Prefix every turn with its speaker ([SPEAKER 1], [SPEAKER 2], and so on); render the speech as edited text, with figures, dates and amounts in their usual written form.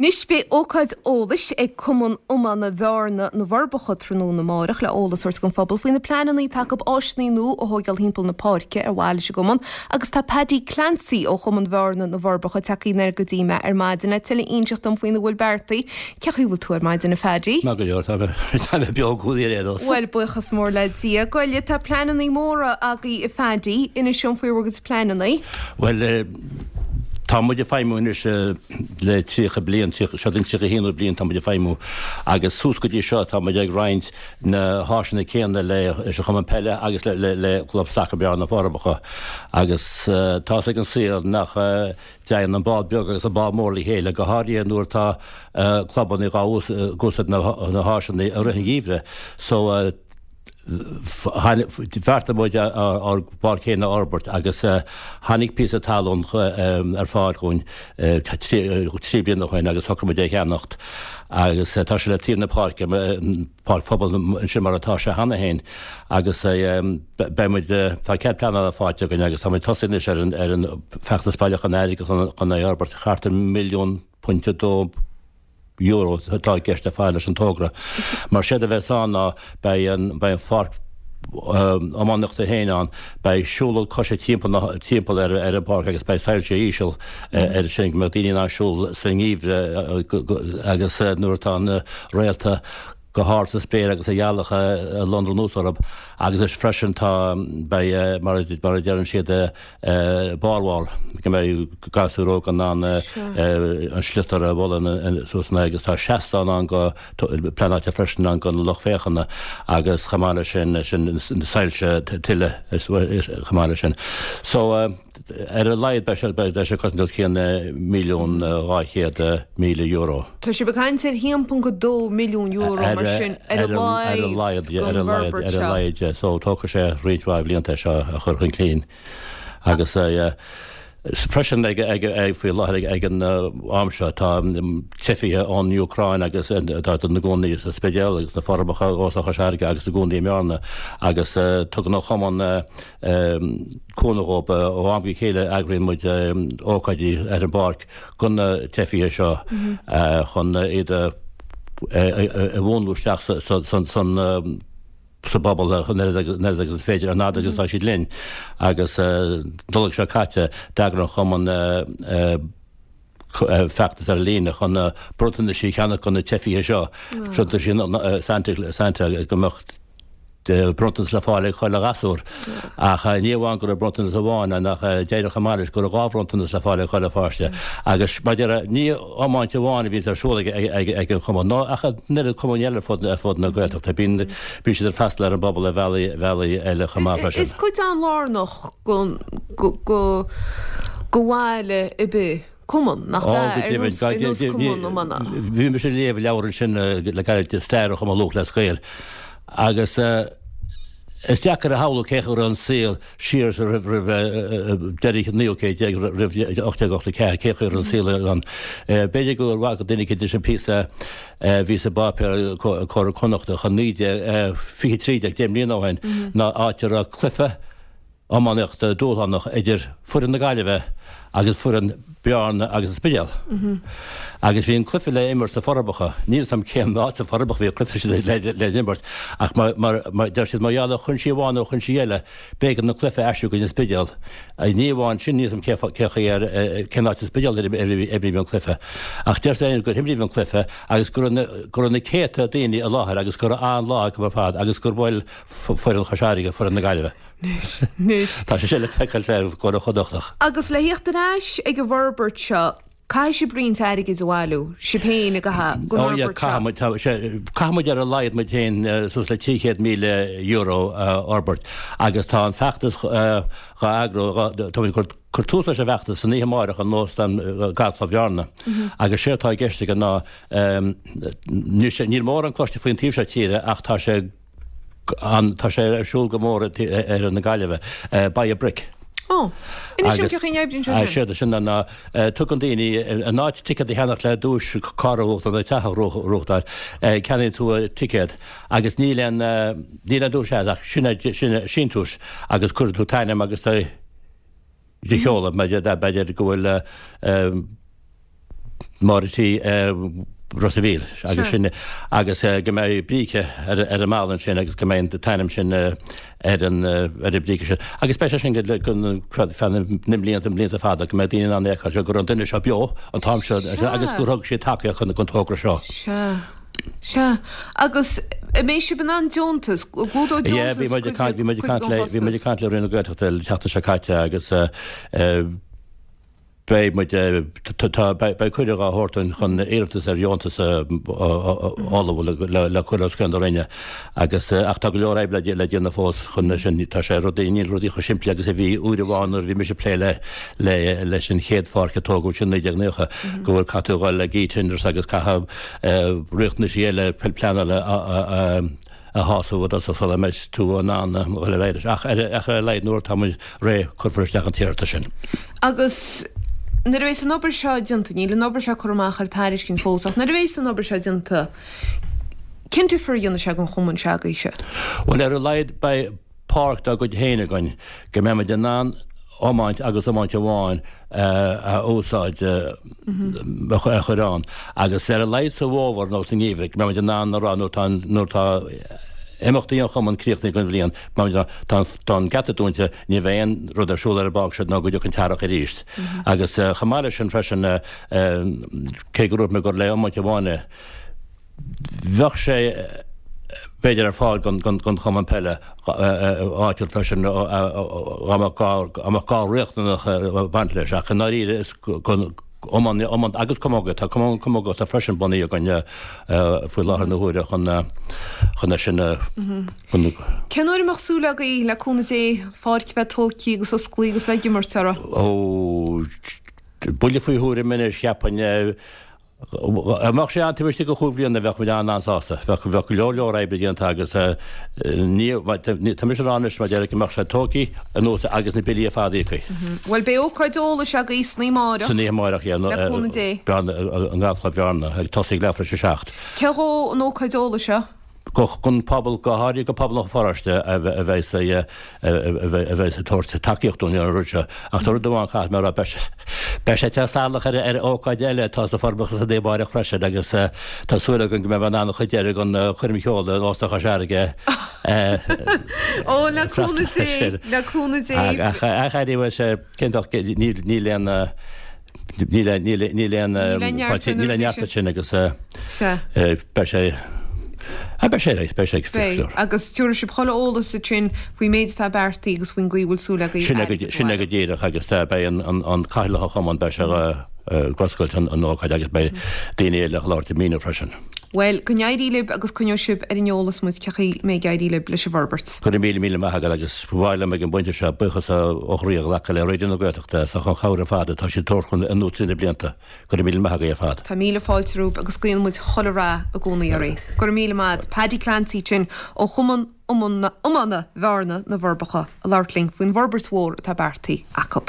[SPEAKER 1] Anois beidh ócáid eolais ag Cumann Iomána Bhearna na bhForbacha tráthnóna amárach le eolas a thabhairt don phobal faoi na pleananna atá acu áiseanna nua a thóigeáil thimpeall na páirce ar mhaithe leis an gcumann agus tá Paddy Clancy ó Chumann Bhearna na bhForbacha tagtha aniar go dtí mé ar maidin le tuilleadh a inseacht dom faoina bhfuil beartaithe. Cén chaoi a bhfuil tú ar maidin a Phaddy?
[SPEAKER 2] Maith go leor, tá mé tá mé beo i gcónaí ar aon nós.
[SPEAKER 1] Bhuel, buíochas mór le Dia. Gabh i leith, tá pleananna móra agaibh a Phaddy, inis dom faoi bhur gcuid pleananna.
[SPEAKER 2] Bhuel, tá muid ag feidhmiú anois le 30 bliain, seo don 31ú bliain tá muid ag feidhmiú agus suas go dtí seo tá muid ag roinnt na háiseanna céanna leis an Chumann Peile agus le Club Sacair Bearna na Forbacha agus tá's ag an saol nach dtéann an bád beag agus an bád mór le chéile, go háirithe nuair atá clubanna ag úsáid na háiseanna i rith an gheimhridh. So. Bheartaigh muid ár bpáirc féin a fhorbairt agus tháinig píosa talún ar fáil dhúinn 3 bliana ó shin agus shocraigh muid é a cheannacht agus tá sé le taobh na páirce, páirc phobail ansin mar atá sé cheana féin agus beidh muid, tá cead pleanála faighte againn agus tá muid tosaithe anois ar an feachtas bailiúcháin airgid chun é a fhorbairt, thart ar milliún pointe dó. euro atá i gceist ar fad leis an togra. Mar séard a bheas ann ná beidh an beidh an pháirc iománaíochta féin ann, beidh siúlóid coise timpeall na timpeall ar ar an bpáirc agus beidh soilse íseal ar sin go mbeadh daoine in ann siúl sa ngeimhreadh agus nuair atá na réalta go hard sa spéir agus an ghealach ag lonrú anuas orthu agus is freisin tá beidh mar a mar a deireann siad bar wall, go mbeidh gasúir óga in ann an sliotar a bhualadh suas ina agus tá seastán ann go pleanáilte freisin ann don lucht féachana agus chomh maith leis sin sin na soilse tuile chomh maith leis sin. So ar a laghad beidh sé beidh sé cosaint os cionn €1,200,000.
[SPEAKER 1] Tá sibh ag caint ar €1.2 milliún mar sin ar a laghad don bhforbairt
[SPEAKER 2] seo. Ar a laghad, yeah. So tógfaidh sé roinnt mhaith bhlianta é seo a chur chun cinn. Agus freisin ag faoi láthair ag an am seo tá teifithe ón Úcráin agus atá ina gcónaí sa Spidéal agus na Forbacha, Óstán Chois Fharraige agus i gcónaí i mBearna agus tugann an Chumann cúnamh dhóibh ó am go chéile eagraíonn muid ócáidí ar an bpáirc do na teifithe seo chun iad a mhúnlú isteach sa bpobal an oiread agus is féidir, an fhad agus atá siad linn. Agus Nollaig seo caite, d'eagraigh an Chumann feachtas ar líne chun bronntanais a cheannach do na teifithe seo, bronntanais Santa go mbeadh bronntanas le fáil ag chuile ghasúr. Ach ní amháin go raibh bronntanas amháin ann ach d'éirigh chomh maith leis go raibh 2 bhronntanas le fáil ag chuile pháiste. Agus mar a déarfá, ní iomáint amháin a bhíonns ar siúl ag an chumann, ná ach an oiread cumainn eile ar fud na Gaeltachta. Bíonn siad ag freastal ar an bpobal ar bhealaí eile chomh maith
[SPEAKER 1] freisin. Is cuid an-lárnach de bhaile ar bith. cumann, nach
[SPEAKER 2] ea, ar nós cumann iomána. Bhí mise ag léamh leabhar ansin le gairid, Stair an Chumann Lúthchleas Gael, agus is deacair a shamhlú cén chaoi a raibh an saol siar roimh deireadh an naoú céad déag, roimh 1884, cén chaoi a raibh an saol ann. B'fhéidir go bhfaca duine éicint leis an píosa a bhí sa bpáipéar Comhar Connachtach i 1923, 10 mbliana ó shin, ná áit a raibh cluiche iománaíochta dúshlánach idir foireann na Gaillimhe agus foireann Bearna agus an Spidéal. Agus bhí an cluiche le imirt sna Forbacha. Níl 'fhios a'm cén áit sna Forbacha bhí an cluiche sin le imirt ach mar deir siad mar gheall ar chúinsí amháin nó chúinsí eile b'éigean an cluiche a aistriú go dtí an Spidéal. Ní amháin sin níl 'fhios a'm cé chaoi ar cén áit sa Spidéal ar imríodh an cluiche ach deirtear gur imríodh an cluiche agus go raibh na céadta daoine i láthair agus go raibh an-lá acu ar fad agus gur bhuail foireann Chois Fharraige foireann na Gaillimhe.
[SPEAKER 1] Anois.
[SPEAKER 2] Tá sé sin le feiceáil sa gComhar Connachtach.
[SPEAKER 1] Agus le thíocht ar ais ag an bhforbairt seo, caithfidh sibh roinnt airgid a bhailiú, sibh féin ag an
[SPEAKER 2] Ó yeah, caithfidh muid, tá sé, caithfidh muid ar a laghad muid féin suas le €300,000 a fhorbairt agus tá an feachtas dhá eagrú, tá muid ag cur, cur tús leis an bhfeachtas san oíche amáireach in Óstán Galfchlub Bhearna agus séard atá i gceist aige ná, níl mórán cloiste faoin taobh seo tíre ach tá sé, Tá sé ar siúl go mór ar na Gaillimhe. Buy a Brick.
[SPEAKER 1] Ó, inis dom cén chaoi a n-oibríonn
[SPEAKER 2] sé sin. Séard é sin ná tugann daoine in áit ticéad a cheannach le duais carr a bhuachtáil nó teach a ghnóthachtáil, ceannaíonn tú ticéad agus níl aon níl aon duais agat ach sin é sin é síntiús agus cuireann tú t'ainm agus do sheoladh b'fhéidir go bhfuil. Máire T. Ros a' Mhíl agus sin agus go mbeidh bríce ar an mballa ansin agus go mbeidh an t-ainm sin ar an ar an bríce sin. Agus beidh sé sin go feadh na mblianta, mblianta fada go mbeidh daoine in ann é a fheiceáil go raibh an duine seo beo an t-am seo agus gur thug siad tacaíocht chun an togra seo.
[SPEAKER 1] Sea. Sea. Agus an mbeidh sibh in ann deontas, gclúdóidh
[SPEAKER 2] Yeah, deontas bhí muid ag caint, bhí muid ag caint le, bhí muid ag caint le Roinn na Gaeltachta an tseachtain seo caite agus Beidh muid, tá, beidh cuireadh á thabhairt dúinn chun iarratas ar dheontas a ullmhú le cur os cionn na Roinne agus, ach tá go leor oibre le déanamh fós chun sin, tá sé rudaí, níl rudaí chomh simplí agus a bhí uair amháin nuair a bhí mise ag plé le, le, leis an chéad pháirc a tógadh sin 1990, go bhfuil caithfidh tú a dhul ag e-tenders agus caithfidh riachtanaisí eile pleanála a, a shásamh i dtosach sula mbeidh tú in ann a dhul ar aghaidh leis. Ach ar a laghad nuair atá muid réidh cuirfear isteach an t-iarratas sin.
[SPEAKER 1] Agus nuair a bheas an obair seo déanta, níl an obair seo curtha amach ar tairiscint fós, ach nuair a bheas an obair seo déanta, cén difear a dhéanfaidh sé don chumann s'agaibhse?
[SPEAKER 2] Bhuel, ar a laghad beidh páirc dár gcuid féin againn go mbeidh muid in ann iomáint agus iomáint amháin a úsáid, a chur ann. Agus ar a laghad sa bhfómhar nó sa ngeimhreadh, go mbeidh muid in ann a rá nuair atá, nuair atá imeachtaí an chumainn críochnaithe don bhliain, beidh muid in ann, tá, tá an geata dúnta, ní bheidh aon rud ar siúl ar an bpáirc seo nó go dtiocfaidh an t-earrach arís. Agus chomh maith leis sin freisin, cé go ndúirt mé gur le iomáint amháin é, Bheadh sé b'fhéidir ar fáil don chumann peile áitiúil freisin dá mbeadh gá riachtanach ag baint leis ach i ndáiríre is don iomáint agus camógaíocht, tá cumann camógaíochta freisin bunaithe againn faoi láthair na huaire chun chun é sin a
[SPEAKER 1] Cén uair a mbeadh súil agaibh, le cúnamh Dé, pháirc a bheith tógtha agus osclaithe agus bheith ag imirt uirthi?
[SPEAKER 2] Ó, buille faoi thuairim anois, cheapfainn. Dá mbeadh sé ann taobh istigh de chúig bhliana bheadh muid an-an-sásta. Bheadh bheadh go leor leor oibre déanta agus ní tá mise ag rá anois mar déarfainn go mbeadh sé tógtha anuas agus na billí ar fad íoctha.
[SPEAKER 1] Bhuel beidh ócáid eolais agaibh san oíche amárach.
[SPEAKER 2] San oíche amárach yeah.
[SPEAKER 1] Le cúnamh Dé.
[SPEAKER 2] Bearna i nGaelchlub Bhearna ag tosaí ag leathuair tar éis a 7.
[SPEAKER 1] Cé dhó an ócáid eolais seo?
[SPEAKER 2] Don phobal, go háirithe go pobal an pharóiste a bheas a bheas ag tabhairt tacaíocht dúinn ar an rud seo. Ach tá rud amháin caithfidh mé a rá, beidh sé te salach ar ar ócáid eile atá sna Forbacha san oíche amárach freisin agus tá súil againn go mbeidh mé in ann an chuid deiridh den choirm cheoil in Óstán Chois Fharraige
[SPEAKER 1] Ó, le cúnamh Dé, le cúnamh
[SPEAKER 2] Dé. Ach anyway, cén níl aon Níl aon níl aon níl aon neart sin agus beidh sé beidh sé beidh sé
[SPEAKER 1] Beidh agus tabharfaidh sibh chuile eolas ansin faoin méid atá beartaithe agus faoin gcaoi a bhfuil súil agaibh
[SPEAKER 2] Sin é sin é go díreach agus beidh an cathaoirleach an chumainn beidh sé ag oscailt an ócáid agus beidh daoine eile ag labhairt ag míniú freisin.
[SPEAKER 1] Bhuel, go n-éirí libh agus coinneoidh sibh ar an eolas muid cén chaoi a mbeidh ag éirí libh leis an bhforbairt.
[SPEAKER 2] Go raibh míle míle maith agat agus ba mhaith liom ag an bpointe seo buíochas ó chroí a ghlacadh le Raidió na Gaeltachta as an chabhair ar fad atá siad ag tabhairt dúinn anuas trí na blianta. Go raibh míle maith agaibh ar fad.
[SPEAKER 1] Tá míle fáilte romhaibh agus guíonn muid chuile rath i gcónaí oraibh. Go raibh míle maith agat. Paddy Clancy ansin ó Chumann Iomána Bhearna, Na Forbacha, ag labhairt linn faoin bhforbairt mhór atá beartaithe acu.